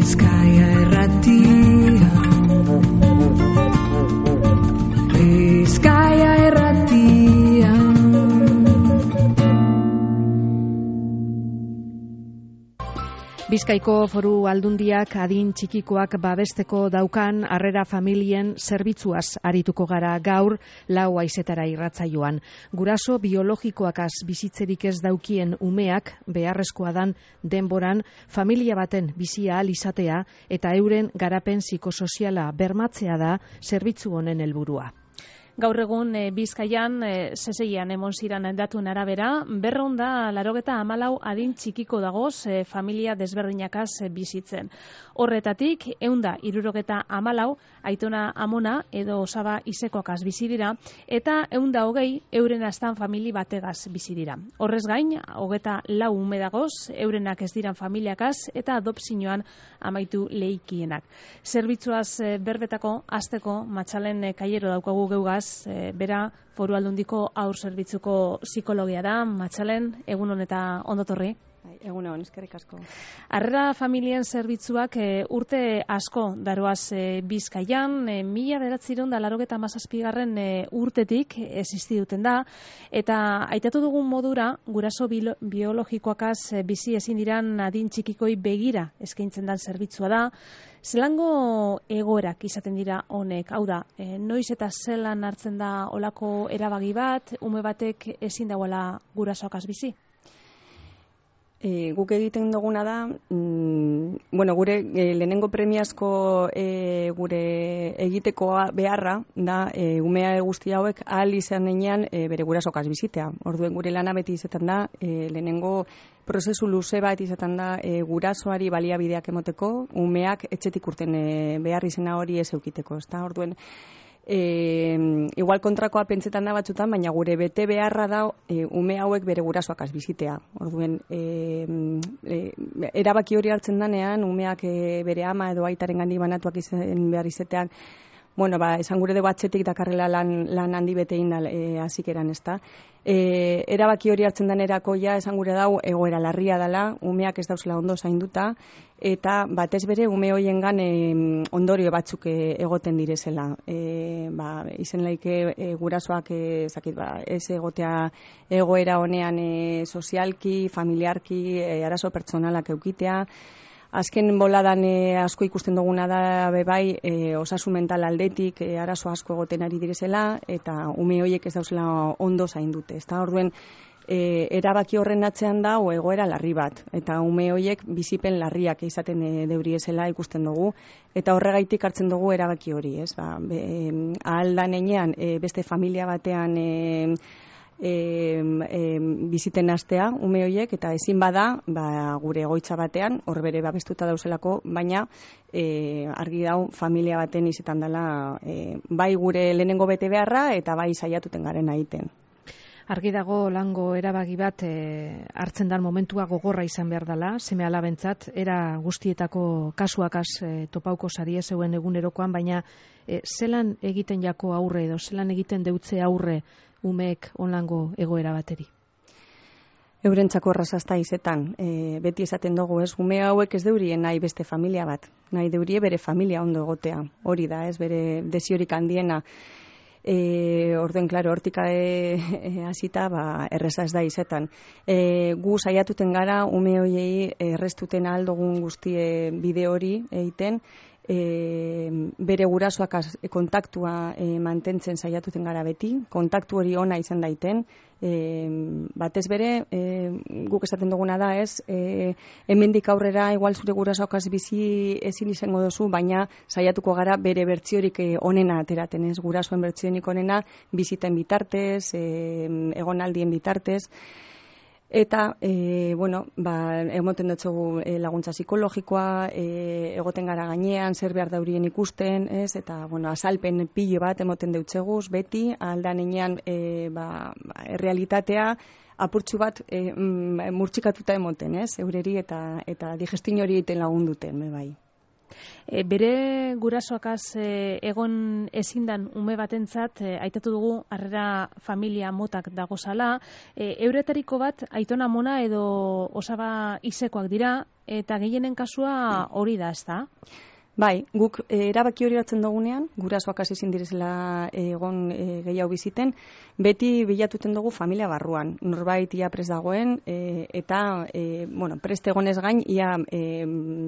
Bizkaia Irratia. Bizkaia Irratia. Bizkaiko Foru Aldundiak adin txikikoak babesteko daukan harrera familien zerbitzuaz arituko gara gaur 4 haizetara irratsaioan. Guraso biologikoakaz bizitzerik ez daukien umeak beharrezkoa dan denboran familia baten bizia ahal izatea eta euren garapen psikosoziala bermatzea da zerbitzu honen helburua. Gaur egun Bizkaian, seseian emon ziran datuen arabera, 284 adin txikiko dagoz familia desberdinakaz bizitzen. Horretatik, 174 aitona amona edo osaba izekoakaz bizi dira, eta 120 euren astan famili bategaz bizi dira. Horrez gain, 24 ume dagoz, eurenak ez diran familiakaz eta adopzioan amaitu leikienak. Zerbitzuaz berbetako, azteko, Matxalen Kaiero daukagu geugaz, bera Foru Aldundiko haur zerbitzuko psikologia da. Matxalen, egunon eta ondotorri. Egunon, eskerrik asko. Harrera familien zerbitzuak urte asko daroaz Bizkaian, 1987 urtetik existi duten da, eta aitatu dugun modura, guraso biologikoakaz bizi ezin diran adin txikikoi begira eskaintzen dan zerbitzua da. Zelango egoerak izaten dira honek? Hau da, noiz eta zelan hartzen da olako erabaki bat, ume batek ezin dagoela gurasoakaz bizi? Guk egiten duguna da, gure lehenengo premiazko gure egiteko beharra da umea guzti hauek ahal izan denean bere gurasokaz bizitea. Orduen gure lana beti izaten da, lehenengo prozesu luze bat izaten da gurasoari baliabideak emoteko, umeak etxetik urten behar izena hori ez eukiteko. Orduen, igual kontrakoa pentsetan da batzutan, baina gure bete beharra da ume hauek bere gurasoakaz bizitea. Orduen, erabaki hori hartzen danean, umeak bere ama edo aitaren gandik banatuak izan behar izatean, esan gure dugu atxetik dakarrela lan handi betein hasikeran, ezta. Erabaki hori hartzen danerako esan gure dau egoera larria dela, umeak ez dauzela ondo zainduta, eta batez bere ume hoiengan ondorio batzuk egoten direzela. Izen laike gurasoak ez egotea egoera honean sozialki, familiarki, arazo pertsonalak eukitea. Azken boladan asko ikusten duguna da bai osasun mental aldetik arazo asko egoten ari direzela eta ume horiek ez dauzela ondo zaindute. Orduen, erabaki horren atzean da egoera larri bat eta ume horiek bizipen larriak izaten deuriezela ikusten dugu eta horregaitik hartzen dugu erabaki hori. Ahal da nenean beste familia batean biziten astea ume horiek eta ezin bada gure egoitza batean hor bere babestuta dauzelako, baina argi dau familia baten izetan dela bai gure lehenengo bete beharra eta bai saiatuten garen egiten. Argi dago lango erabaki bat hartzen dan momentua gogorra izan behar dela, seme alabentzat, era guztietako kasuakaz topauko sarie zeuen egunerokoan, baina zelan egiten jako aurre edo zelan egiten deutze aurre umeek onlango egoera bateri? Eurentzako errazazta izetan, beti esaten dugu, ume hauek ez deurien nahi beste familia bat, nahi deurie bere familia ondo egotea, hori da, bere desiorik handiena. Orduen, klaro, hortik hasita erreza ez da izetan. Gu saiatuten gara, ume hoiei erreztuten aldogun guztie bide hori egiten, bere gurasoak kontaktua mantentzen saiatuten gara beti, kontaktu hori ona izan daiten, batez bere, guk esaten duguna da hemendik aurrera igual zure gurasoakaz bizi ezin izango duzu, baina saiatuko gara bere bertsiorik onena ateraten, gurasoen bertsionik onena biziten bitartez, egonaldien bitartez. Eta, emoten dutxegu laguntza psikologikoa, egoten gara gainean, zer behar daurien ikusten, eta, azalpen pilo bat emoten dutxeguz, beti, aldan enean, errealitatea, apurtxu bat murtxikatuta emoten, eureri eta digestin hori egiten lagunduten, bai. Bere gurasoakaz egon ezindan ume batentzat, aitatu dugu harrera familia motak dagozala, euretariko bat aitona amona edo osaba izekoak dira, eta gehienen kasua hori da, ez da? Bai, guk erabaki hori hartzen dugunean, gurasoak hasi ezin direzela egon gehiago biziten, beti bilatuten dugu familia barruan. Norbait ia prest dagoen, eta prest egonez gain, ia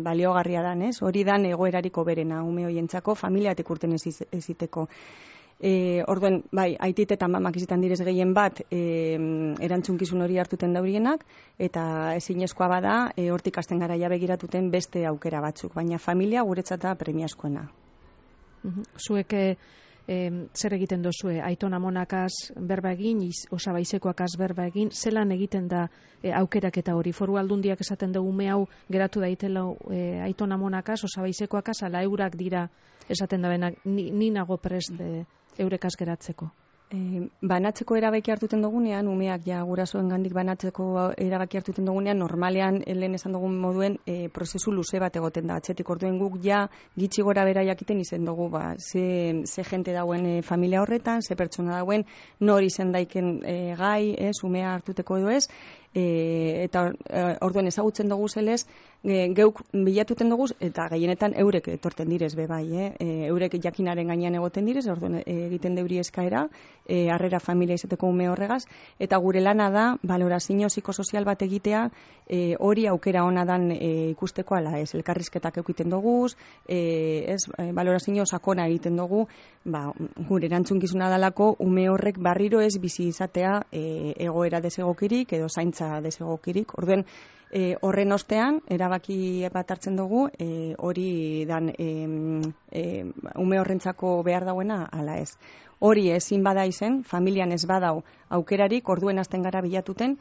baliogarria dan, ez? Hori dan egoerariko berena, ume hoientzako, familiatik urten eziteko. Orduen, bai, aitit eta mamak izitan direz gehien bat erantzunkizun hori hartuten daurienak, eta ezinezkoa bada, hortik hasten gara begiratuten beste aukera batzuk, baina familia guretzat da premiazkoena. Zuek zer egiten dozue, aiton amonakaz berba egin, osaba izekoakaz berba egin, zelan egiten da aukerak eta hori? Foru Aldundiak esaten dugu ume hau geratu daitela aiton amonakaz, osaba izekoakaz, ala eurak dira esaten da benak, ni nago prest eurekaz geratzeko. Banatzeko erabaki hartuten dugunean, umeak gurasoen gandik banatzeko erabaki hartuten dugunean, normalean, lehen esan dugun moduen, prozesu luze bat egoten da. Atzetik orduen guk gitxi gora bera jakiten izen dugu, ze jente dauen familia horretan, ze pertsona dauen, nori izen daiken gai, umea hartuteko edo ez, eta orduen ezagutzen dugu zelez, geuk bilatuten dugu, eta gehienetan eurek etorten direz be bai, eurek jakinaren gainean egoten direz, orduen egiten deuri eskaera, harrera familia izateko ume horregaz, eta gure lana da, balorazio psikosozial bat egitea, hori aukera ona dan ikusteko ala ez, elkarrizketak eukiten dugu, balorazio sakona egiten dugu, gure erantzunkizuna dalako, ume horrek barriro ez bizi izatea egoera desegokirik, edo zaintza desegokirik, orduen, horren ostean, erabaki bat hartzen dugu, hori dan ume horrentzako behar dauena, ala ez. Hori ezin bada izen, familian ez badau aukerarik, orduen hasten gara bilatuten,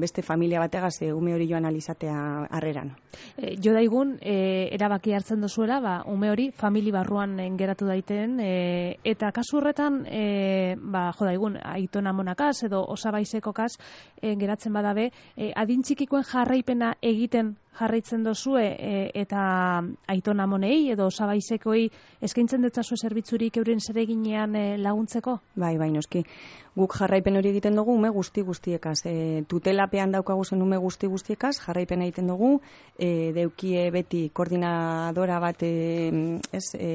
beste familia bategaz ume hori joan alizatea harreran. Jo daigun, erabaki hartzen dozuela, ume hori famili barruan geratu daiten, eta kasu horretan, jo daigun, aiton amonakaz edo osabaizekokaz geratzen badabe, adin txikikoen jarraipena egiten jarraitzen dozue eta aiton amonei edo osabaizekoei eskaintzen dutzazu zerbitzurik euren zereginean laguntzeko? Bai, noski. Guk jarraipen hori egiten dugu ume guztiekaz. Tutelapean daukagu zen ume guztiekaz, jarraipen egiten dugu, deukie beti koordinadora bat,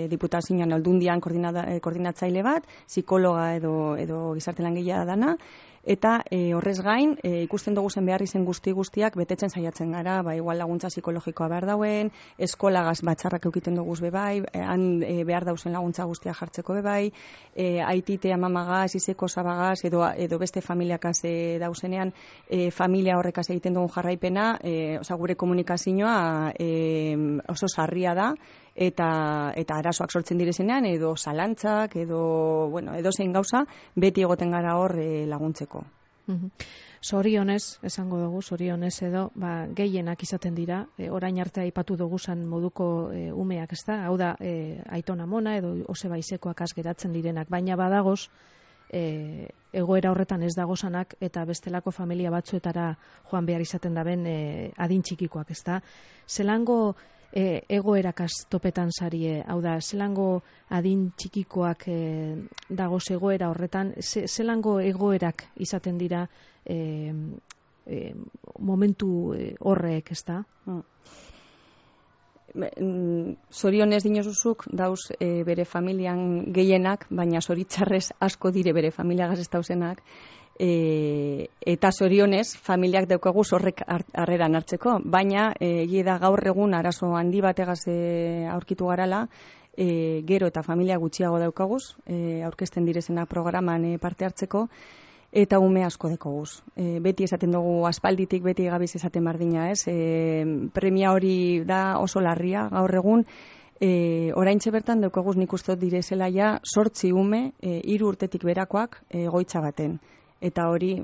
diputazioan aldundian koordinatzaile bat, psikologa edo gizarte langilea dana, eta horrez gain, ikusten dugu zen behar izen guztiak betetzen saiatzen gara, igual laguntza psikologikoa behar dauen, eskolagaz batxarrak eukiten dugu bebai, han behar dauzen laguntza guztiak jartzeko bebai, aitite amamagaz, izeko osabagaz, edo beste familiakaz dauzenean, familia horrekaz egiten dugun jarraipena, gure komunikazioa oso sarria da, eta arazoak sortzen direzenean, edo zalantzak, edo zein gauza, beti egoten gara hor laguntzeko. Zorionez, esango dugu, zorionez edo, gehienak izaten dira, orain arte aipatu dugu zan moduko umeak, ez da? Hau da, aiton amona edo oseba izekoak geratzen direnak, baina badagoz, egoera horretan ez dagozanak eta bestelako familia batzuetara joan behar izaten daben adin txikikoak, ez da? Zelango egoerakaz topetan zarie, hau da, zelango adin txikikoak dagoz egoera horretan, zelango egoerak izaten dira momentu horrek, ez da? Zorionez dinozuzuk dauz bere familian gehienak, baina zoritzarrez asko dire bere familiagaz ez dauzenak, eta zorionez familiak daukaguz horrek harreran hartzeko, baina da gaur egun arazo handi bategaz aurkitu garala, gero eta familia gutxiago daukaguz, aurkezten direzenak programan parte hartzeko, eta ume asko dekoguz. Beti esaten dugu aspalditik, beti gabiz esaten bardina, ez? Premia hori da oso larria gaur egun, oraintxe bertan daukaguz nik uste direzela 8 ume, 3 urtetik berakoak egoitza baten. Eta hori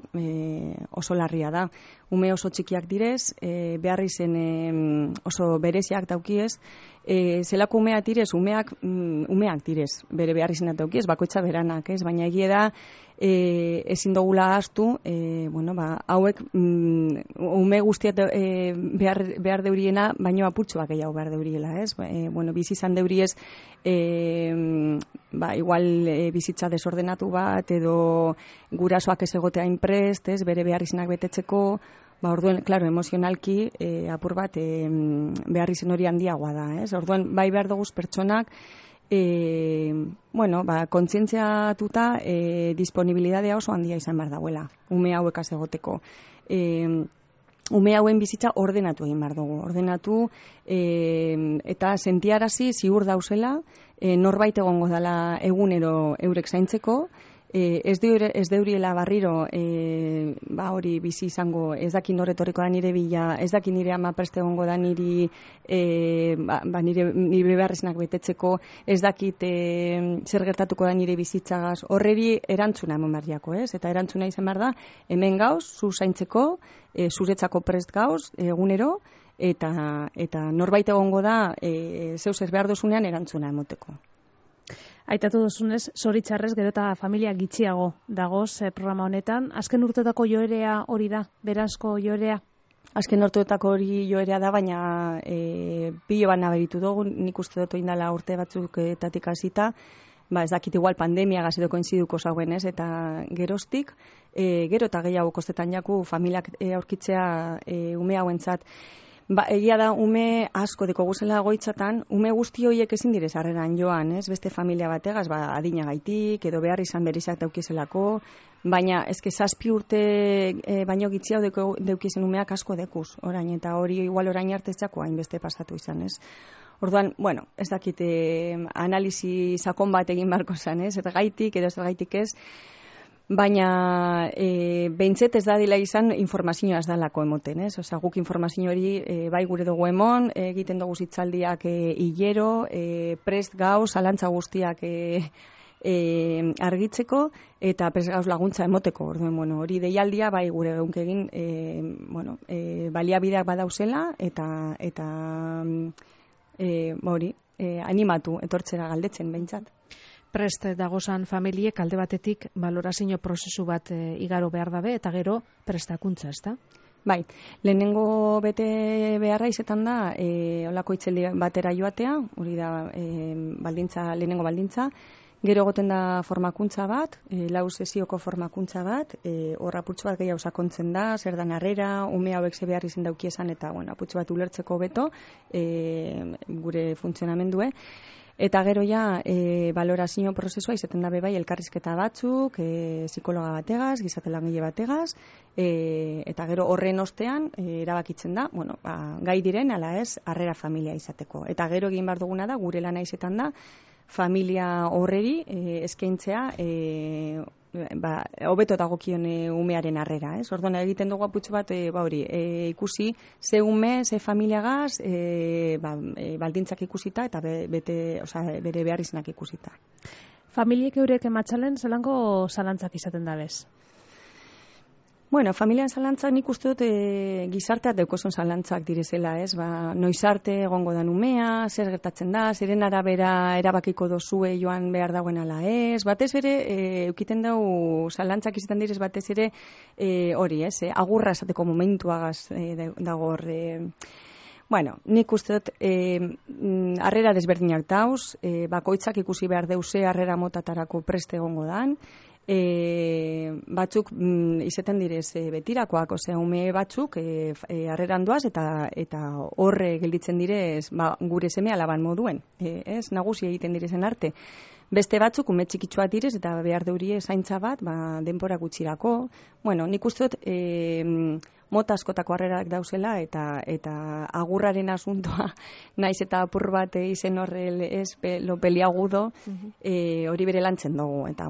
oso larria da. Ume oso txikiak direz, behar izen oso bereziak daukiez, zelako umeak direz, umeak direz, bere behar izan dauki, ez bakoitza beranak, ez, baina egia da, ezin dugula ahaztu, hauek ume guztiat behar deuriena, baino apurtxoak gehiago behar deuriela, ez? Bizi izan deuriez, igual bizitza desordenatu bat, edo gurasoak ez egotea inprest, ez? Bere behar izanak betetzeko, orduen, klaro, emozionalki apur bat behar izan hori handiagoa da, ez? Orduen, bai behar duguz pertsonak, kontzientziatuta disponibilidadea oso handia izan behar dauela, ume hauekaz egoteko. Ume hauen bizitza ordenatu egin behar dugu. Ordenatu eta sentiarazi ziur dauzela, norbait egongo dela egunero eurek zaintzeko, ez deuriela barriro hori bizi izango, ez daki norretorriko da nire bila, ez daki nire ama preste egongo da nire beharreznak betetzeko, ez dakit zer gertatuko da nire bizitzagaz, horreri erantzuna eman behar ez? Eta erantzuna izan behar da, hemen gauz, zu zaintzeko, zuretzako prest gauz, egunero, eta norbait egongo da, zeu zer behar dozunean erantzuna emoteko. Aitatu duzunez, zoritxarrez gero eta familia gitxiago dagoz programa honetan. Azken urteetako joerea hori da, berazko joerea? Azken urteetako hori joerea da, baina pilo bat nabaritu dugu, nik uste dut indala urte batzuketatik hasita, ez dakit igual pandemia edo koinziduko zauen, ez, eta geroztik, gero eta gehiago kostetan jaku familiak aurkitzea ume hauentzat. Egia da, ume asko deko guzela goitzatan, ume guzti horiek ezin direz harreran joan, ez? Beste familia bategaz, adinagaitik, edo behar izan berizak daukizelako, baina ezke 7 urte baino gitziau deukizen umeak asko dekuz, orain, eta hori igual orain artetzako hainbeste pasatu izan, ez? Orduan, ez dakit analisi sakon bat egin barko zen, ez? Eta gaitik, edo ez gaitik ez, baina behintzet ez da dila izan informazioa ez dalako emoten, ez? Osa, guk informazio hori bai gure dugu emon, egiten dugu zitzaldiak hilero, prest gauz, zalantza guztiak argitzeko, eta prest gauz laguntza emoteko. Orduen, hori deialdia bai gure geunk egin baliabideak badauzela, eta animatu, etortzera galdetzen behintzat. Prest dagozan familiek alde batetik balorazio prozesu bat igaro behar dabe, eta gero prestakuntza, ezta? Bai, lehenengo bete beharra izetan da, olako itzeldi batera joatea, hori da lehenengo baldintza, gero egoten da formakuntza bat, 4 sesioko formakuntza bat, hor apurtxo bat gehiago sakontzen da, zer dan harrera, ume hauek ze behar izan daukiesan, eta apurtxo bat ulertzeko beto, gure funtzionamendue. Eta gero ja, balorazio prozesua izaten dabe bai elkarrizketa batzuk, psikologa bategaz, gizarte langile bategaz, eta gero horren ostean erabakitzen da, gai diren ala ez, harrera familia izateko. Eta gero egin behar duguna da, gure lana izetan da, familia horreri eskaintzea hobeto dagokion umearen harrera, ez? Orduan egiten dugu aputxo bat ikusi ze ume, ze familiagaz, baldintzak ikusita eta bere behar izanak ikusita. Familiek eurek ematxalen zelango zalantzak izaten dabez? Familian zalantzak nik uste dut gizarteat deukozun zalantzak direzela, ez? Noiz arte egongo da umea, zer gertatzen da, zeren arabera erabakiko dozue joan behar dagoen ala ez, batez ere, eukiten dau zalantzak izaten direz batez ere hori, ez? Agurra esateko momentuagaz dago hor. Nik uste dut harrera desberdinak dauz, bakoitzak ikusi behar deuse harrera motatarako preste egongo dan, batzuk izaten direz betirakoak, ume batzuk harreran doaz eta horre gelditzen direz gure seme alaban moduen, ez nagusi egiten direzen arte. Beste batzuk ume txikitsua direz eta behar deurie zaintza bat denbora gutxirako. Nik uste dut mota askotako harrerak dauzela eta agurraren asuntoa naiz eta apur bat izen horrel ez lo peliagudo hori bere lantzen dugu eta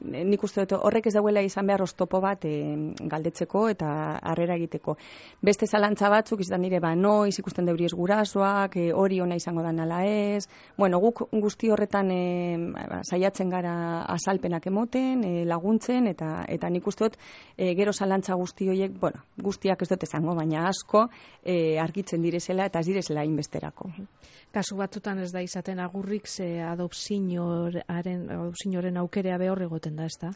nik uste dut horrek ez dauela izan behar oztopo bat galdetzeko eta harrera egiteko. Beste zalantza batzuk izan dire noiz ikusten deuriez gurasoak, hori ona izango da nala ez, guk guzti horretan saiatzen gara azalpenak emoten, laguntzen eta nik uste dut gero zalantza guzti horiek, bueno, guztiak ez dut esango, baina asko argitzen direzela eta ez direzela inbesterako. Kasu batzutan ez da izaten agurrik, ze adopzioaren aukerea behor egoten da, ez da?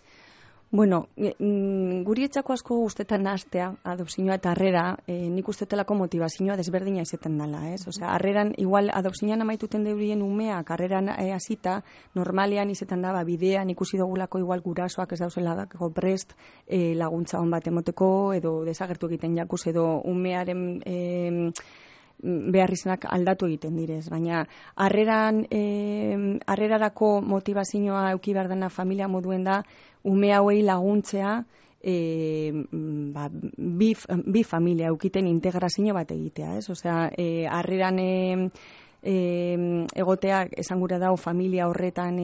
Bueno, guri etxako asko guztetan nahaztea, adopzioa eta harrera, nik ustetelako motivazioa desberdina izaten dela, ez? Osea, harreran, igual adopzioan amaituten deurien umeak, harreran hasita, normalean izaten da, bidean ikusi dugulako igual gurasoak ez dauzela dako prest laguntza hon bat emoteko, edo desagertu egiten jakuz, edo umearen behar izanak aldatu egiten direz, baina harrerarako motivazioa euki behar dena familia moduen da, ume hauei laguntzea bi familia eukiten integrazio bat egitea, ez? Osea, harreran egotea esan gura dau familia horretan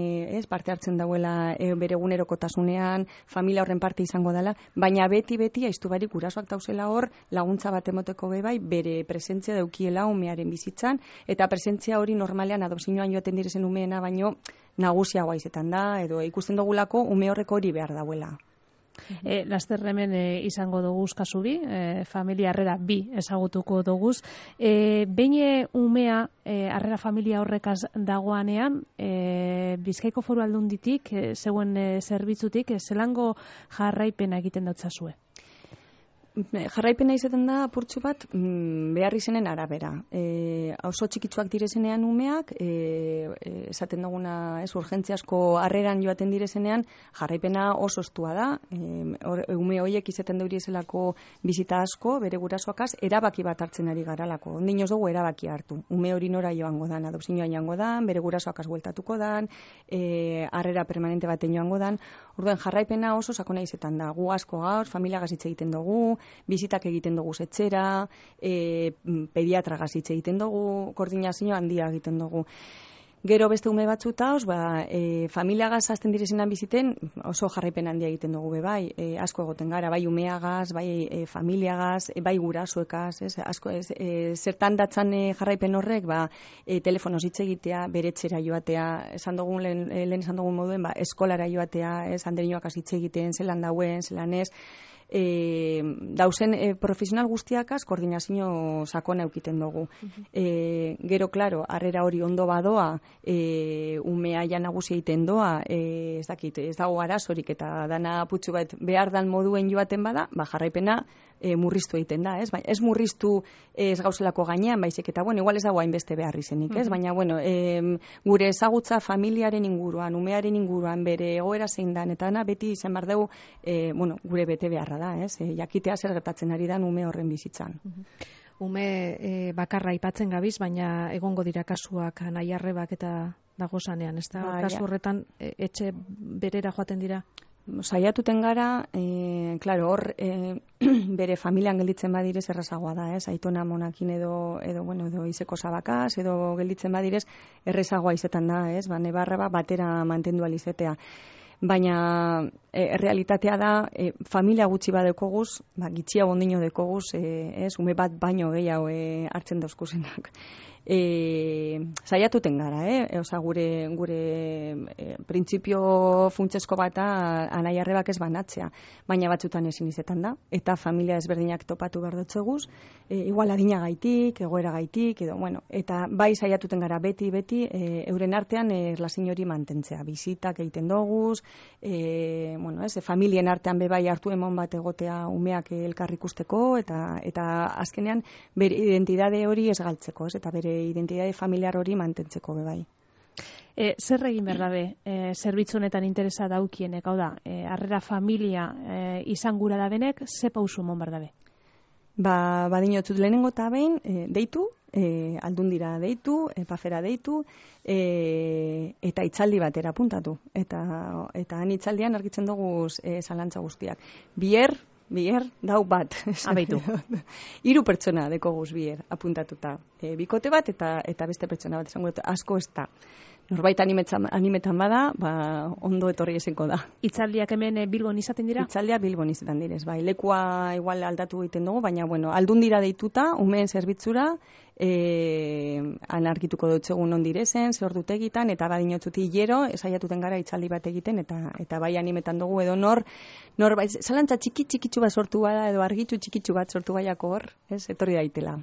parte hartzen dauela bere egunerokotasunean, familia horren parte izango dela, baina beti aiztu barik gurasoak dauzela hor laguntza bat emoteko bai bere presentzia daukiela umearen bizitzan, eta presentzia hori normalean adopzioan joaten direzen umeena baino nagusiagoa izetan da, edo ikusten dugulako ume horreko hori behar dauela. Laster hemen izango doguz kasu bi, familia harrera bi ezagutuko doguz. Behin umea harrera familia horrekaz dagoanean, Bizkaiko Foru Aldunditik, zeuen zerbitzutik, zelango jarraipena egiten dautzazue? Jarraipena izaten da apurtxu bat behar izenen arabera. Oso txikitsuak direzenean umeak, esaten duguna urgentziasko harreran joaten direzenean, jarraipena oso estua da. Ume horiek izaten deuriezelako bizita asko, bere gurasoakaz, erabaki bat hartzen ari garalako. Ondinoz dugu erabaki hartu. Ume hori nora joango dan, adopzioa joango dan, bere gurasoakaz bueltatuko dan, harrera permanente baten joango dan. Orduan jarraipena oso sakona izetan da. Gu asko gaur, familia gazitze egiten dugu, bizitak egiten dugu etxera, pediatra gazitze egiten dugu, koordinazio handia egiten dugu. Gero beste ume batzuta, familia gaz azten direzenan biziten, oso jarraipen handia egiten dugu bai, asko egoten gara, bai umeagaz, bai familiagaz, bai gurasoekaz, asko zertan datzan jarraipen horrek, telefonoz hitz egitea, bere etxera joatea, lehen esan dugun moduen, eskolara joatea, anderioak hitz egiten, zelan dauen, zelan ez, dauzen profesional guztiakaz koordinazio sakona eukiten dugu. Gero, klaro, harrera hori ondo badoa, umea ja nagusia egiten doa, ez dakit, ez dago arazorik eta dana putxu bat behar dan moduen joaten bada, jarraipena murriztu egiten da, ez? Ez murriztu ez gauzelako gainean, baizik eta, igual ez dago hainbeste behar izenik, ez? Baina, gure ezagutza familiaren inguruan, umearen inguruan, bere egoera zein dan, eta beti izan behar dugu, gure bete beharra da, ez? Jakitea zer gertatzen ari dan ume horren bizitzan. Ume bakarra aipatzen gabiz, baina egongo dira kasuak nahi arrebak eta dagozanean, ez da? Kasu horretan etxe berera joaten dira? Saiatuten gara, hor bere familian gelditzen badirez errazagoa da, ez? Aitona monakin edo izeko zabakaz, edo gelditzen badirez errazagoa izetan da, ez? Nebarra batera mantendu alizetea. Baina realitatea da, familia gutxi bat dekoguz, gitxia bondino dekoguz, ume bat baino gehiago hartzen dauzkuzenak. Saiatuten gara, oza, gure printzipio funtsesko bata anai arrebak ez banatzea, baina batzutan ezin izetan da, eta familia ezberdinak topatu behar dotzeguz, igual adina gaitik, egoera gaitik, eta bai saiatuten gara beti, euren artean erlazin hori mantentzea, bizitak egiten doguz, familien artean bebai hartu emon bat egotea umeak elkar ikusteko, eta azkenean bere identidade hori ez galtzeko, eta bere identitate familiar hori mantentzeko bebai. Zer egin behar dabe, zerbitzu honetan interesa daukienek, hau da, harrera familia izan gura da benek, ze pausu mon behar dabe? Badinotzut lehenengo eta behin, deitu, aldundira deitu, pafera deitu, eta itzaldi batera apuntatu. Eta han itzaldian argitzen dugu zalantza guztiak. Bier, dau bat. Abeitu. 3 pertsona dekoguz bier apuntatuta. Bikote bat eta beste pertsona bat, esango dut, asko ez da. norbait animetan bada, ondo etorri ezinko da. Itzaldiak hemen Bilbon izaten dira? Itzaldiak Bilbon izaten direz, bai. Lekua igual aldatu egiten dugu, baina, aldundira deituta, umeen zerbitzura, anarkituko dutzegun non direzen, zehordutegitan, eta badinotzuti hilero, esaiatuten gara itzaldi bat egiten, eta bai animetan dugu edo nor bai, zalantza txikitsu bat sortu bada, edo argitxu txikitsu bat sortu baiako hor, etorri daitela.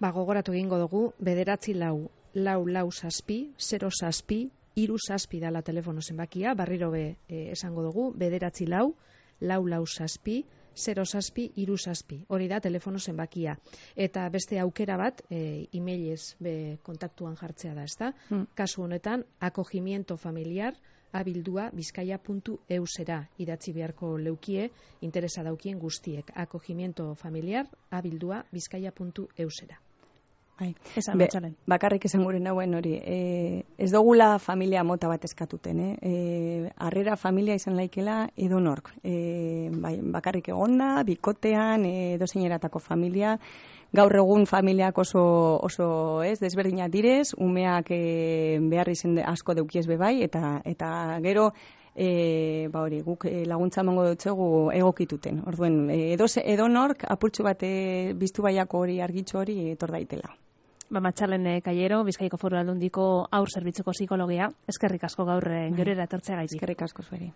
Gogoratu egingo dugu, 944-067-067 dala telefono zenbakia, berriro esango dugu, 944-067-067. Hori da telefono zenbakia. Eta beste aukera bat, emailez kontaktuan jartzea da, ezta? Kasu honetan, acogimiento familiar @bizkaia.eusera idatzi beharko leukie, interesa daukien guztiek. Acogimiento familiar @bizkaia.eusera. Bakarrik esan gure nauen hori, ez dugula familia mota bat eskatuten, harrera familia izan laikela edonork, bakarrik egonda, bikotean, edozeineratako familia, gaur egun familiak oso desberdinak direz, umeak behar izen asko deukiez bebai, eta gero guk laguntza emango dutzegu egokituten. Orduen, edonork apurtxu bat biztu baiako hori argitxo hori etor daitela. Matxalen Kaiero, Bizkaiko Foru Aldundiko haur zerbitzuko psikologia. Eskerrik asko gaur geurera etortzeagaitik. Eskerrik asko zueri.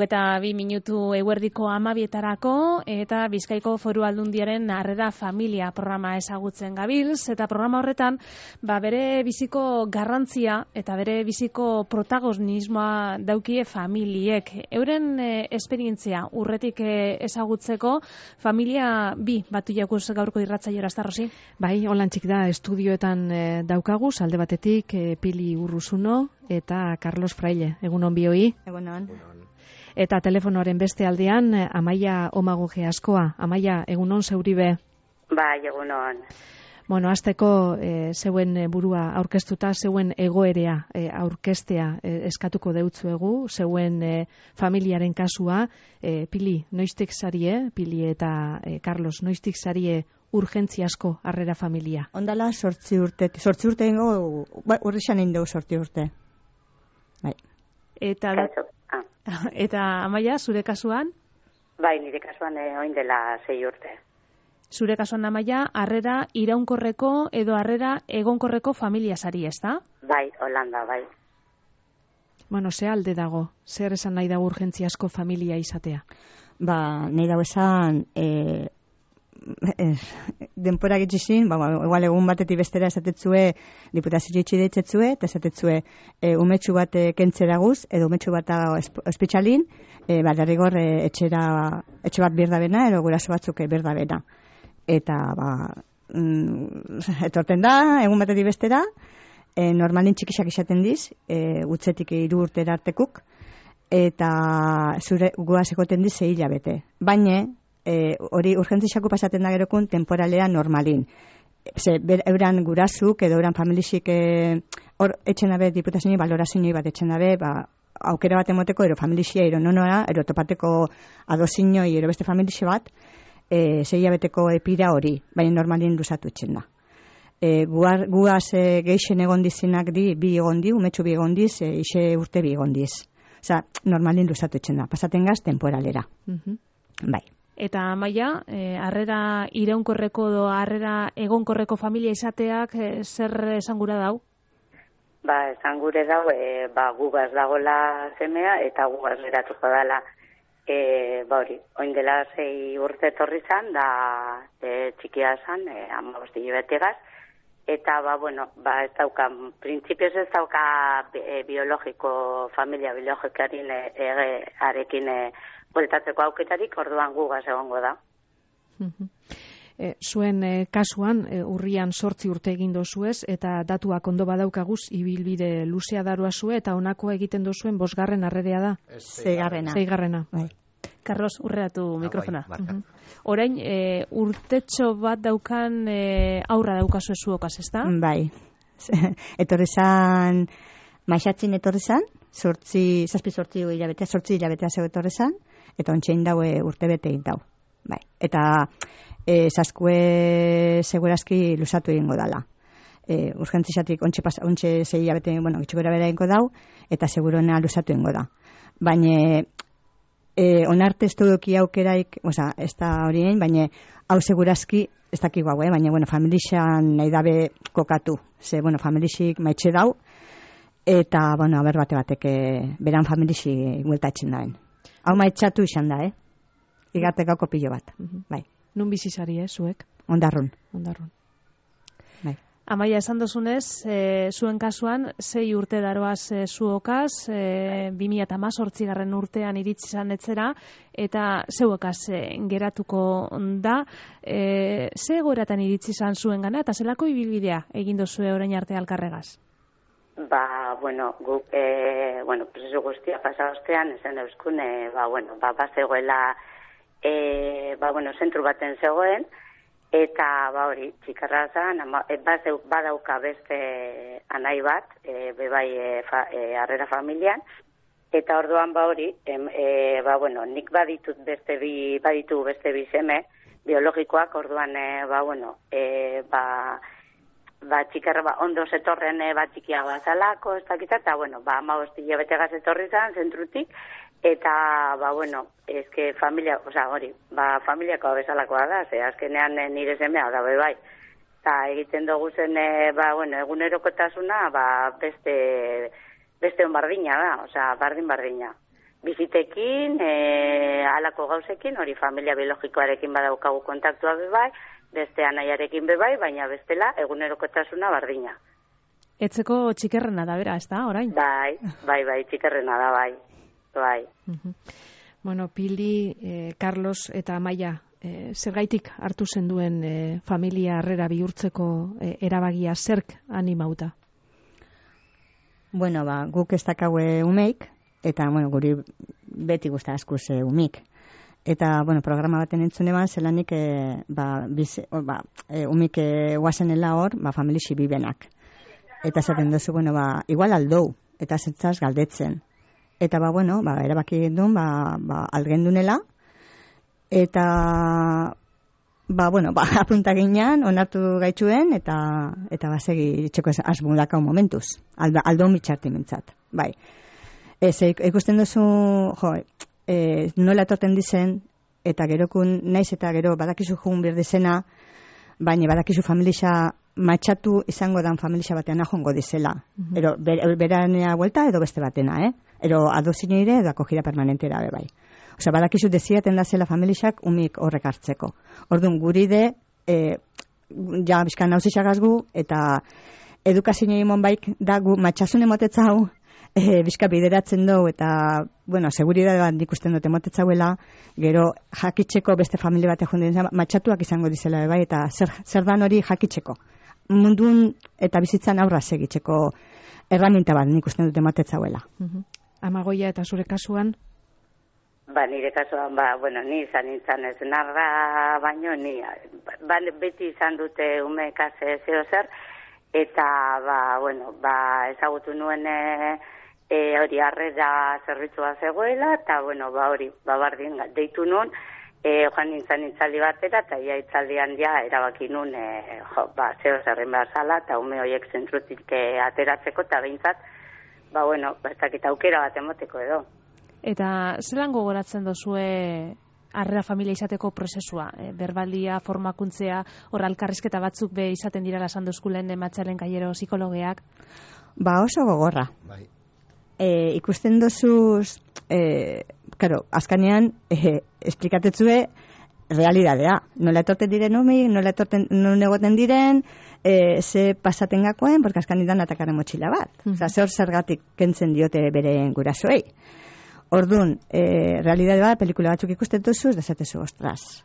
Eta 2 minutu eguerdiko 12etarako eta Bizkaiko Foru Aldundiaren Harrera Familia programa ezagutzen gabilz, eta programa horretan bere biziko garrantzia eta bere biziko protagonismoa daukie familiek. Euren esperientzia urretik ezagutzeko familia bi batu jakuz gaurko irratzaiora, ezta Rosi? Bai, holantzik da estudioetan daukaguz, alde batetik Pili Urruzuno eta Carlos Fraile. Egunon bioi? Egunon. Eta telefonoaren beste aldean, Amaia Omagoge askoa. Amaia, egunon zeuribe? Bai, egunon. Hasteko zeuen burua aurkeztuta, zeuen egoerea aurkeztea eskatuko deutzuegu, zeuen familiaren kasua. Pili, noiztik zarie, Pili eta Carlos, noiztik zarie urgentziasko harrera familia? Ondala 8 urte ingo, urrixan indau 8 urte. Bai. Eta Amaia, zure kasuan? Bai, nire kasuan oin dela 6 urte. Zure kasuan, Amaia, harrera iraunkorreko edo harrera egonkorreko familia zari, ezta? Bai, Holanda, bai. Ze alde dago? Zer esan nahi dago urgentziasko familia izatea? Nahi dago esan denpora gitxizin, igual egun batetik bestera esatetzue diputazio itxi deitzetzue, eta esatetzue umetxu bat kentzeraguz, edo umetxu bat ospitxalin, derrigor etxe bat birdabena, edo guraso batzuk birdabena. Eta, etorten da, egun batetik bestera, normalin txikisak izaten diz, gutzetik 3 urtera artekuk, eta zure guaz egoten diz 6 hilabete. Baina, hori urgentzixako pasaten da gerokun temporalea normalin. Euran gurasuk edo euran familisik hor etxen dabe diputazioni balorazioni bat etxen dabe, aukera bat emoteko ero familisia ero nonora, ero topateko adozinoi ero beste familisi bat, 6 hilabeteko epira hori, baina normalin luzatu etxen da. Guaz geixen egon dizinak 2 egon di, umetxu 2 egon diz, 6 urte 2 egon diz. Osea, normalin luzatu etxen da, pasaten gaz temporalera. Bai. Eta Amaia, harrera iraunkorreko edo harrera egonkorreko familia izateak zer esangura dau? Esan gure dau, gugaz dagola semea eta gugaz geratuko dela. Hori, oin dela 6 urte etorri zan, da txikia zan, 15 hilabetegaz, eta ez dauka, printzipioz ez dauka familia biologikarin arekin bueltatzeko auketarik, orduan gugaz egongo da. Zuen kasuan, urrian 8 urte egin dozuez, eta datuak ondo badaukaguz, ibilbide luzea darua zue, eta honakoa egiten dozuen 5. harrerea da? 6. Bai. Carlos, urreatu mikrofona. Orain, urtetxo bat daukan aurra daukazu zuokaz, ezta? Bai. Etorri zan, maixatzin etorri zan, 7 hilabetea zeu etorri zan, eta ontsein daue urte bete egin dau. Bai. Eta zaskue segurazki luzatu egingo dala. Urgentzizatik ontxe 6 hilabete, gitxukera bera egingo dau, eta seguruena luzatu egingo da. Baina onarte ez duki aukeraik, ez da horien, baina hau segurazki ez dakigu hau, baina familixan nahi dabe kokatu. Ze, familixik maitxe dau, eta, aber batek beran familixi gueltatzen daen. Hau maitxatu izan da, Igartekako pilo bat, bai. Nun bizizari, zuek? Ondarrun. Bai. Amaia, esan dozunez, zuen kasuan, 6 urte daroaz zuokaz, 2018 urtean iritsi zan etzera, eta zeuekaz geratuko da. Ze egoeratan iritsi zan zuen gana, eta zelako ibilbidea egin dozue orain arte alkarregaz? Guk, prozesu guztia pasaostean, esan euskun, bazegoela, zentru baten zegoen, eta hori, txikarra zan, badauka beste anai bat, harrera familian, eta orduan hori, nik baditu beste bi seme biologikoak, orduan, txikarra ondo zetorren txikia bazalako, ez dakita, eta 15 hilabetegaz etorri zan, zentrutik, eta, eske familia, familiako bezalakoa da, ze azkenean nire semea da, bai. Eta egiten dugu zen, egunerokotasuna, beste onbardina da, bardina. Bizitekin, halako gauzekin, hori familia biologikoarekin badaukagu kontaktua bai, beste anaiarekin bai, baina bestela egunerokotasuna bardina. Etzeko txikerrena da, bera, ez da, orain? Bai, txikerrena da, bai. Bai. Pili, Carlos eta Amaia, zergaitik hartu zenduen familia harrera bihurtzeko erabagia zerk animauta? Guk ez dakaue umeik, eta guri beti guzta askuz umik. Eta, programa baten entzune ban, zelanik umik guazenela hor, familixi bibenak. Eta zaten duzu, igual aldou, eta zentzaz galdetzen. Eta, erabaki gendun, algendunela, eta, apunta ginean, onartu gaitxuen, eta basegi itxeko asmudakau momentuz. Aldo mitxarti mintzat, bai. Ikusten duzu, nola etorten dizen, eta gerokun naiz eta gero badakizu jugun birdizena, baina badakizu familia matxatu izango dan familia batean ajongo dizela. Ero, beranea vuelta edo beste batena, Ero, adozine ire edo akogida permanentera bai. Osea, badakizu deziaten da zela familiak umik horrek hartzeko. Orduan, guri de, ja, bizkan nauzisagazgu, eta edukazio imon baik da gu matxasun emotetza hau, bizka bideratzen dugu, eta, seguridadean ikusten dute emotetzauela, gero jakitzeko beste familia batek jonden matxatuak izango dizela bai, eta zer dan hori jakitzeko. Mundun eta bizitzan aurra segitzeko erraminta bat ikusten dute emotetzauela. Amagoia, eta zure kasuan? Nire kasuan, ni izan nintzen ez narra, baino, beti izan dute umekaz zeo zer, eta, ezagutu nuen hori harrera zerbitzua zegoela, eta, hori, bardin, deitu nuen, joan nintzen itzaldi batera, eta ia itzaldian erabaki nuen, zeo zerren behar zala, eta ume horiek zentrutik ateratzeko, eta behintzat, bueno, ez dakit aukera bat emoteko edo. Eta zelan gogoratzen dozue harrera familia izateko prozesua? Berbaldia, formakuntzea, hor alkarrizketa batzuk be izaten dirala esan duzkulen Matxalen Kaiero psikologeak? Oso gogorra. Bai. Ikusten dozuz, azkanean, esplikatetzue realidadea. Nola etorten diren umi, nola egoten diren, ze pasaten gakoen, porque azkanetan atakaren motxila bat. Osa, zergatik kentzen diote beren gurasoei. Orduan, realidade bat, pelikula batzuk ikusten duzuz, dezatezu, ostras.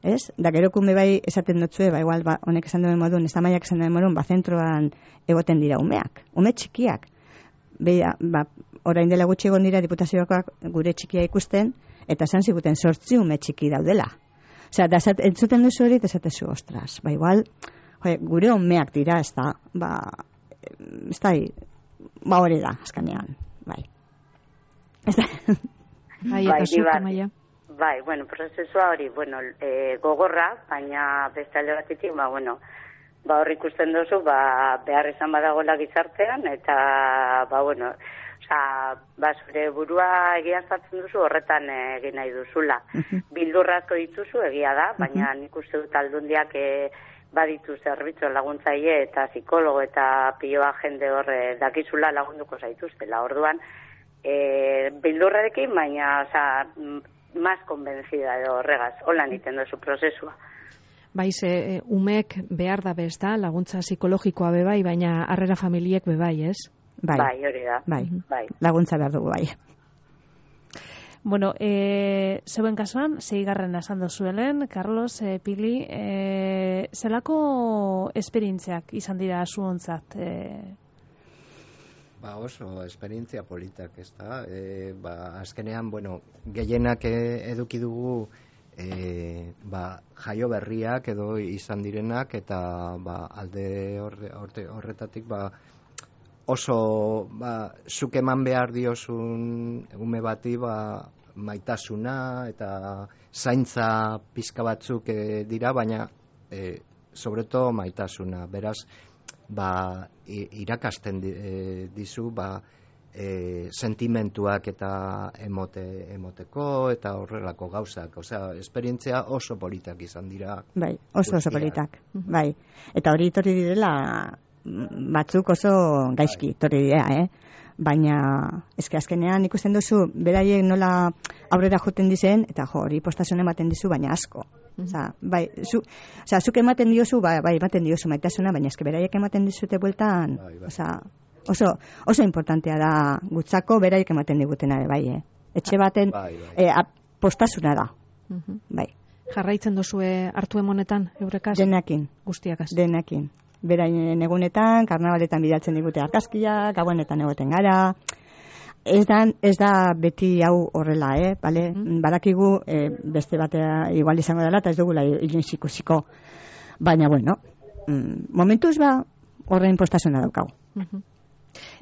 Ez? Da gero kume bai esaten dutzue, igual, honek esan duen modun, ez da maiak esan duen modun, zentroan egoten dira umeak, ume txikiak. Beha, orain dela gutxi egon dira diputazioak gure txikia ikusten, eta esan ziguten 8 ume txiki daudela. Osea, entzuten duzu hori, dezatezu, ostras. Igual, gure umeak dira, ez da, hori da, azkanean, bai. Bai, bueno, prozesua hori, gogorra, baina beste alde batetik, hor ikusten duzu, behar izan badagoela gizartean, eta, zure burua egiaztatzen duzu, horretan egin nahi duzula. Bildurrazko dituzu, egia da, baina nik uste dut aldundiak baditu zerbitzu laguntzaile eta psikologo eta piloa jende hor dakizula lagunduko zaituztela. Orduan, bildurrarekin, baina, más convencida edo horregaz, holan iten duzu prozesua. Ze umek behar da bez da, laguntza psikologikoa bebai, baina harrera familiek bebai, ez? Bai, hori da. Bai, laguntza behar dugu, bai. Bueno, zeuen kasuan, 6. esan dozuelen, Carlos, Pili, zelako esperientziak izan dira zuontzat? Oso esperientzia politak, ez da. Azkenean, gehienak eduki dugu jaio berriak edo izan direnak, eta alde horretatik oso zuk eman behar diozun ume bati maitasuna eta zaintza pizka batzuk dira, baina sobreto maitasuna. Beraz, irakasten dizu sentimentuak eta emoteko eta horrelako gauzak. Osea, esperientzia oso politak izan dira. Bai, oso politak. Bai. Eta hori torri direla batzuk oso gaizki torri dira, Baina, azkenean ikusten duzu, beraiek nola aurrera joten dizen, eta hori postasun ematen dizu, baina asko. Zuk ematen diozu, ematen diozu maitasuna, baina beraiek ematen dizute bueltan, oso importantea da gutzako beraiek ematen digutena, etxe baten postasuna da. Jarraitzen duzue hartu emonetan, eurekaz? Denekin. Guztiakaz? Denekin. Beraien egunetan, karnabaletan bidaltzen digute argazkiak, gauenetan egoten gara. Ez da beti hau horrela, bale? Badakigu beste batea igual izango dela, eta ez dugula ikusiko. Baina, momentuz horren postasuna daukau.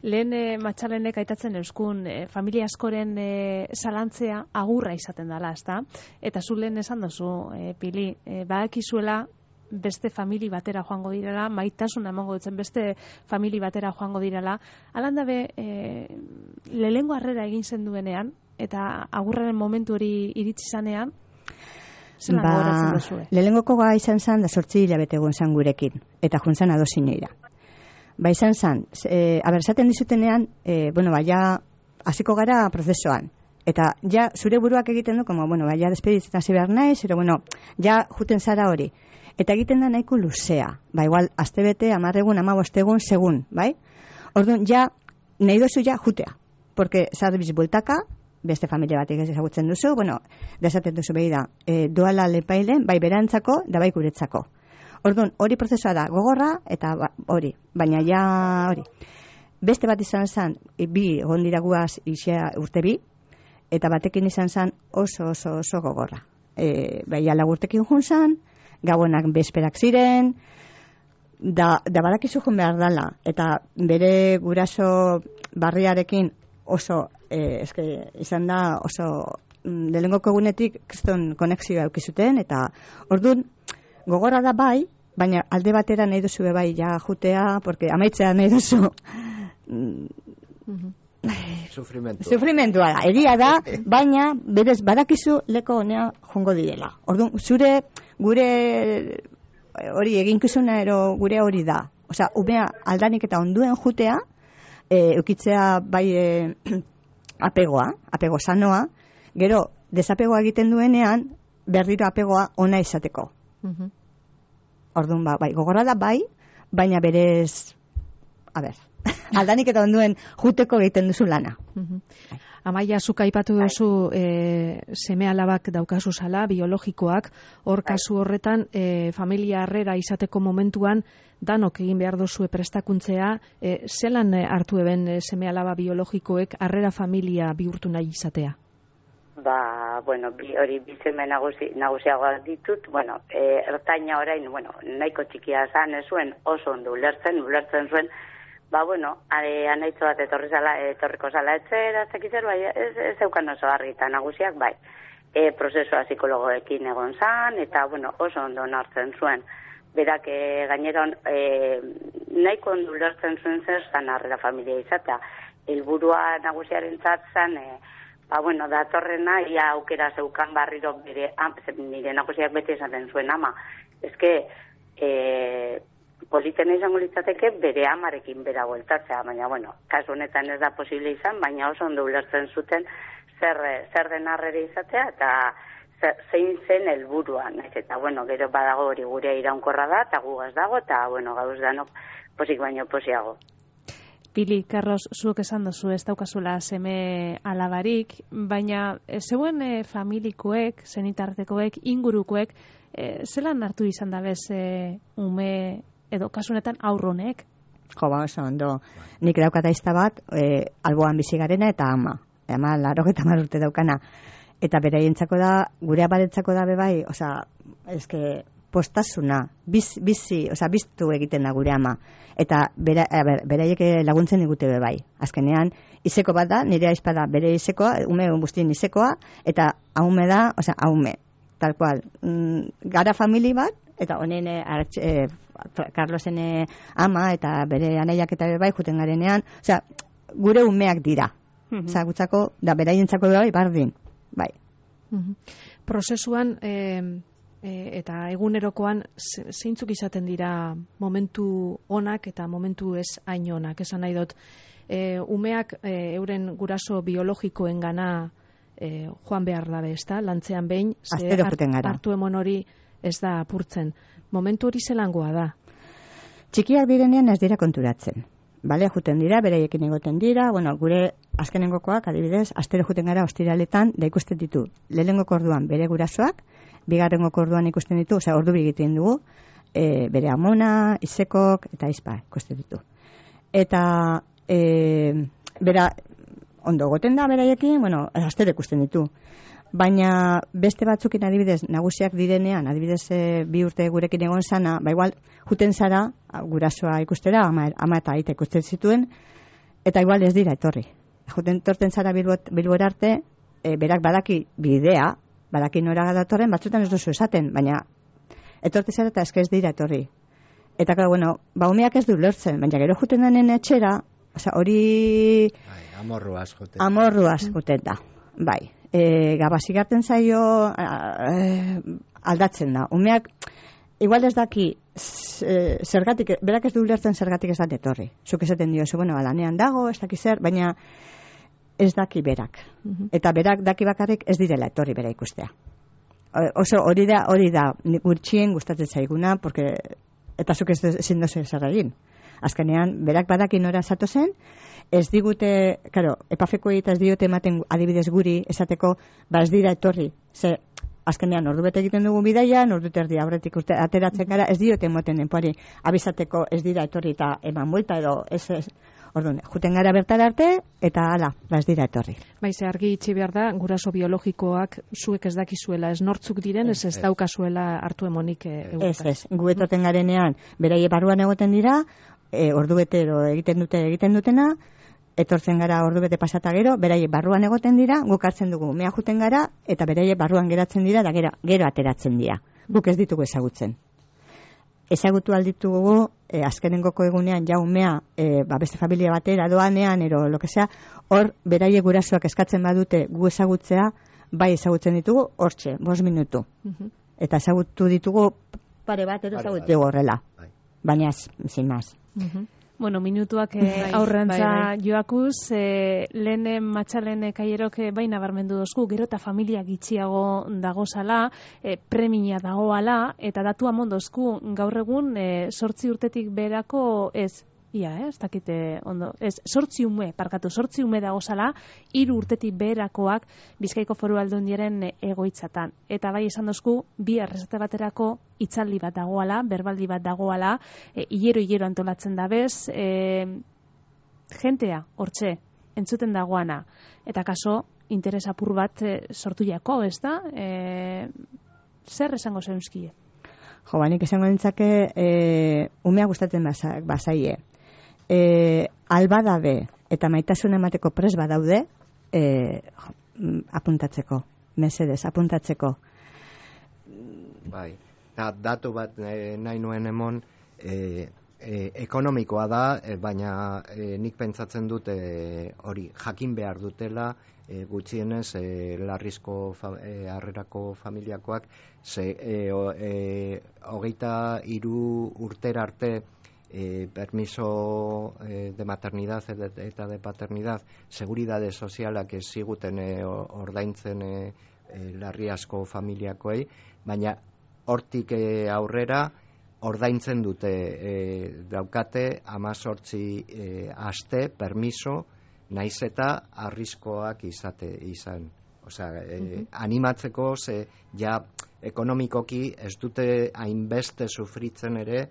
Lehen Matxalenek aitatzen euskun familia askoren zalantzea agurra izaten dela, ezta? Eta zu lehen esan dozu, Pili, badakizuela beste famili batera joango direla, maitasuna emango dutzen beste famili batera joango direla. Alandabe, lehengo harrera egin zen duenean, eta agurraren momentu hori iritsi zanean, zelan gogoratzen duzue? Lehengoko izan zen, da 8 hilabete egon zan gurekin, eta juntzan adosineira. Izan zen, esaten dizutenean, ja, hasiko gara prozesoan. Eta ja, zure buruak egiten du, ja, despeditzen hasi behar naiz, ja, juten zara hori. Eta egiten da nahiko luzea. Igual, astebete, 10 egun, 15 egun, segun, bai? Orduan, ja, nahi dozu ja, jutea. Porque, zarbiz bueltaka, beste familia batik ezagutzen duzu, desaten duzu behi da, doala lepailen, bai berantzako, da bai guretzako. Orduan, hori prozesua da, gogorra, eta hori, baina ja hori. Beste bat izan zen, bi egon dira guaz urte 2, eta batekin izan zen oso gogorra. Baina lagurtekin juntzan, gauenak bezperak ziren, da badakizu jun behar dala, eta bere guraso barriarekin oso, izan da oso, lehengoko egunetik kriston konexioa eukizuten, eta orduan, gogorra da bai, baina alde batera nahi duzu bai ja jutea, porque amaitzea nahi duzu Sufrimentua da, egia da, baina berez badakizu leko honea jongo direla. Orduan, gure hori eginkizuna ero gure hori da. Osea, umea aldanik eta onduen jutea, eukitzea bai apego sanoa, gero desapegoa egiten duenean, berriro apegoa ona izateko. Orduan, bai, gogorra da bai, baina berez, aldanik eta onduen juteko egiten duzu lana. Amaia, zuk aipatu duzu seme alabak daukazu zala, biologikoak, hor kasu horretan, familia harrera izateko momentuan, danok egin behar duzue prestakuntzea, zelan hartu eben seme alaba biologikoek harrera familia bihurtu nahi izatea? Hori bizeme nagusiagoak ditut, ertaina orain, nahiko txikia zan, ez zuen oso ondo ulertzen zuen, anaitzo bat etorriko zala etzera, ez zeukan oso argita nagusiak, bai. Prozesua psikologoekin egon zan, eta, oso ondo nartzen zuen. Berak gaineron nahiko ondo ulertzen zuen zer zan harrera familia izatea. Helburua nagusiaren zatzen, datorrena, ia aukera zeukan barriro nire nagusiak beti esaten zuen ama. Ezke, politena izango litzateke bere amarekin bera bueltatzea, baina, kasu honetan ez da posible izan, baina oso ondo ulertzen zuten zer den harrera izatea, eta zein zen helburuan, eta, gero badago hori gure iraunkorra da, eta gugaz dago, eta, gauz danok posik baino posiago. Pili, Carlos, zuek esan duzu ez daukazula seme alabarik, baina zeuen familikoek, zenitartekoek, ingurukoek, zelan hartu izan dabez ume edo kasunetan aurronek? Oso ondo. Nik daukata izta bat, alboan bizi garena eta ama 80 urte daukana. Eta beraientzako da, gure abarentzako da bebai, eske postasuna, biztu egiten da gure ama. Eta beraiek laguntzen digute bebai. Azkenean, izeko bat da, nire aizpada bere izekoa, ume guztien izekoa, eta haume da, haume, tal cual. Gara famili bat, eta honen Carlosen ama eta bere anaiak eta bebai juten garenean, gure umeak dira. Gutzako, da beraientzako bebai, bardin. Bai. Prozesuan eta egunerokoan zeintzuk izaten dira momentu onak eta momentu ez hain onak. Esan nahi dut, umeak euren guraso biologikoen gana joan behar dabe, ezta? Lantzean behin, hartu emon hori ez da apurtzen. Momentu hori zelangoa da? Txikiak direnean ez dira konturatzen. Bale, juten dira, bereiekin egoten dira, gure azkenengokoak, adibidez, astero juten gara ostiraletan, da ikusten ditu, lehenengoko orduan bere gurasoak, bigarrengoko orduan ikusten ditu, ordu bigiten dugu, bere amona, izekok, eta izpa ikusten ditu. Eta, bera, ondo goten da beraiekin, astero ikusten ditu. Baina beste batzukin adibidez, nagusiak direnean, adibidez 2 urte gurekin egon sana, igual, juten zara, gurasoa ikustera, ama eta aita ikusten zituen, eta igual ez dira etorri. Juten torten zara Bilbora arte, berak badaki bidea, badaki nora datorren, batzutan ez duzu esaten, baina etorte zara eta ez dira etorri. Eta, umeak ez du lortzen, baina gero juten danen etxera, hori... Amorruaz juten da, bai. Gabazigarten zaio aldatzen da. Umeak, igual ez daki zergatik, berak ez du ulertzen zergatik ez da etorri. Zuk esaten dio, lanean dago, ez daki zer, baina ez daki berak. Eta berak daki bakarrik ez direla etorri bera ikustea. Oso hori da gutxien gustatzen zaiguna, eta zuk ezin dozu zer egin. Azkenean, berak badaki nora zato zen, ez digute, epafekoei eta ez diote ematen adibidez guri esateko, ez dira etorri. Ze, azkenean, ordu bete egiten dugu bidaian, ordu terdi aurretik ateratzen gara, ez diote emoten denpoari abizateko ez dira etorri eta eman buelta edo ez. Orduan, juten gara bertara arte, eta ez dira etorri. Baize, argi itxi behar da, guraso biologikoak zuek ez dakizuela, ez nortzuk diren, ez daukazuela hartu emonik egutaz. Ez, gu etorten garenean, beraie barruan egoten dira, ordu bete egiten dutena, etortzen gara ordu bete pasata gero, beraie barruan egoten dira, guk hartzen dugu mea juten gara, eta beraie barruan geratzen dira, da gero ateratzen dira. Guk ez ditugu ezagutzen. ezagutu alditugu azkenengoko egunean jaumea beste familia batera doanean ero lo que sea, hor beraiek gurasoak eskatzen badute gu ezagutzea, bai ezagutzen ditugu hortxe, 5 minutu. Eta ezagutu ditugu pare bat ero ezagutu horrela. Baina sin más. Bueno, minutuak aurrantza joakuz, lehen matxalen kaierok baina barmendu dozku, gero eta familia gitxiago dagozala, premia dagoala, eta datua mondozku gaur egun 8 urtetik berako ez dakite ondo, ez 8 ume dagozala, 3 urtetik berakoak Bizkaiko Foru Aldundiaren egoitzatan. Eta bai esan dozku, bi errezete baterako hitzaldi bat dagoala, berbaldi bat dagoala, hilero antolatzen dabez, jentea, hortxe, entzuten dagoana. Eta kaso, interes apur bat sortu jako, ez da? Zer esango zeunzkie? Jo, banik esango nintzake, umea gustatzen bazaie. Albadabe eta maitasun emateko pres badaude, apuntatzeko, mesedez, apuntatzeko. Bai, datu bat nahi nuen emon, ekonomikoa da, baina nik pentsatzen dut hori jakin behar dutela, gutxienez larrizko harrerako familiakoak, 23 urtera arte permiso de maternidad eta de paternidad seguridade sozialak ez ziguten ordaintzen larriazko familiakoei, baina hortik aurrera ordaintzen dute daukate 18 aste permiso naiz eta arriskoak izan. Osea, animatzeko ja ekonomikoki ez dute hainbeste sufritzen ere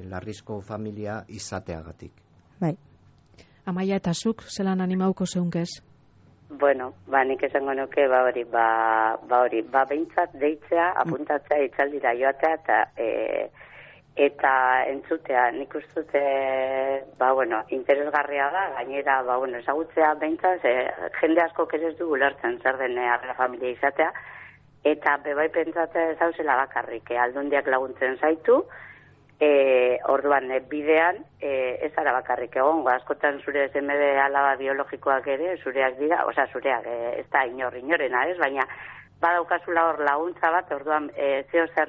larrizko familia izateagatik. Bai. Amaia eta zuk, zelan animauko zeunkez? Bueno, nik esango nuke, behintzat deitzea, apuntatzea, itzaldira joatea, eta entzutea, nik ustute, interesgarria da, gainera, ezagutzea behintzat, jende asko ez du ulertzen zer den harrera familia izatea, eta bebai pentsatzea zauzela bakarrik, aldundiak laguntzen zaitu, orduan bidean ez ara bakarrik egongo, askotan zure semede alaba biologikoak ere zureak dira, zureak ez da inorrena, ez, baina badaukazula hor laguntza bat, orduan zeo zer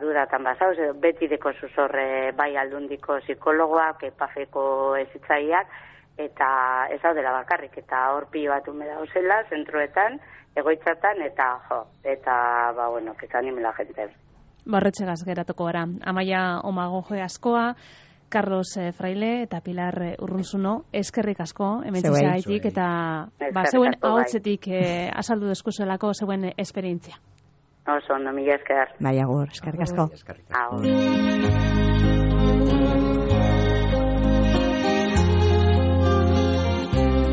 dudatan bazauz, beti deko zuzorre bai aldundiko psikologoak, epafeko ezitzaiak, eta ez daudela bakarrik, eta hor pilo bat ume dauzela, zentroetan, egoitzatan, eta que anime la gente. Barretxegaz geratuko gara. Amaia Omagoje askoa, Carlos Fraile eta Pilar Urrunzuno, eskerrik asko, hemen zizaitik, eta zeuen ahotzetik azaldu deskuzelako zeuen esperientzia. Oso, ondo, mila esker. Bai, agur, eskerrik asko. Agur.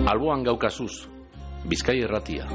Alboan gaukazuz, Bizkai Irratia.